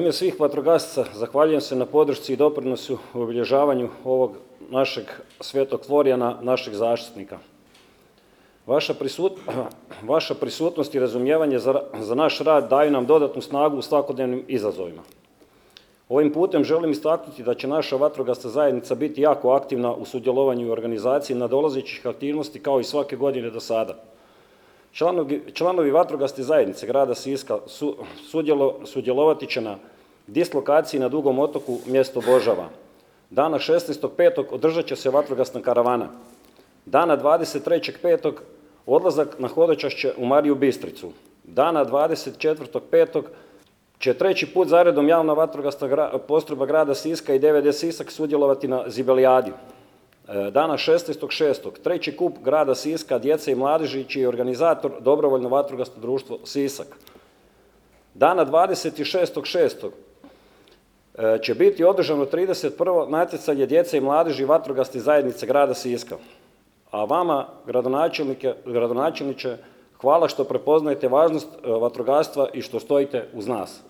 ime svih vatrogasaca zahvaljujem se na podršci i doprinosu u obilježavanju ovog našeg svetog Florijana, našeg zaštitnika. Vaša prisutnost i razumijevanje za naš rad daju nam dodatnu snagu u svakodnevnim izazovima. Ovim putem želim istaknuti da će naša vatrogasna zajednica biti jako aktivna u sudjelovanju i organizaciji nadolazećih aktivnosti kao i svake godine do sada. Članovi vatrogasne zajednice grada Siska sudjelovati će na dislokaciji na Dugom otoku mjesto Božava. Dana 16.5. održat će se vatrogasna karavana. Dana 23.5. odlazak na hodočašće u Mariju Bistricu. Dana 24.5. će treći put zaredom javna vatrogasna postrojba grada Siska i DVD Sisak sudjelovati na Zibelijadi. Dana 16.6. treći kup grada Siska, djece i mladeži, čiji je organizator Dobrovoljno vatrogasno društvo Sisak. Dana 26.6. će biti održano 31. natjecanje djece i mladeži vatrogasne zajednice grada Siska. A vama, gradonačelniče, hvala što prepoznajete važnost vatrogastva i što stojite uz nas.